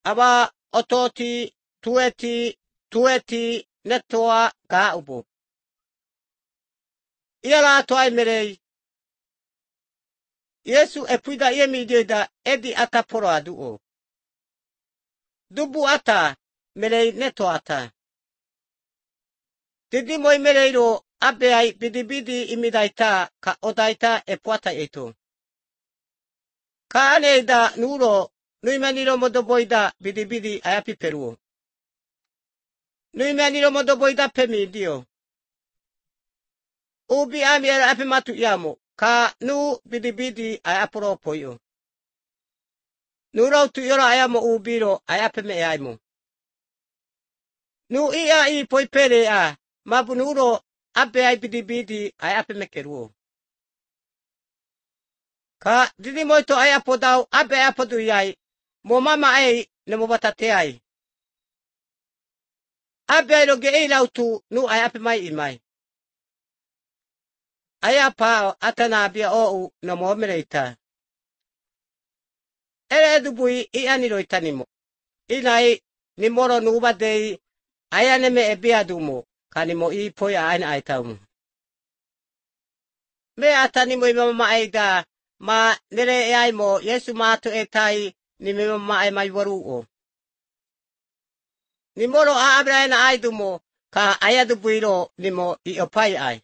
aba ototi tueti netoa ga ubo. Iala toai merei. Yesu epuida iemi idioida edi ata poro aduo. Dubu ata merei neto ata. Didi moi mereiro abeai bidibidi imidaita ka odaita epuata eto. Ka aneida nuro nuimaniro modoboida bidibidi ayapi peruo. Nuimaniro modoboida pemidio. Ubi amiera api matu iamo. Ka nu bidibidi ayapuro poyo. Nuro tu yoro ayamo ubiro ayape me ayamo. Nu ia I poipere a. Mabu nuro abeai bidibidi ayape me keruo. Ka didi moito ayapodau abe ayapodu yai. Mo mama ai ne mo batate ai. Abe ai roge ei lautu nu ayape mai imai. Ayapa atana abia ou na momereita. Ere edubui I aniro itanimo. Inai ni moro nuba dei ayaneme ebiadumo. Kanimo I poya aina aitaumu. Me atanimo imama aida ma nere eaimo Yesu mato etai ni mama ai mai waruo. Ni moro a abraina aidumo ka ayadubuiro nimo I opai ai.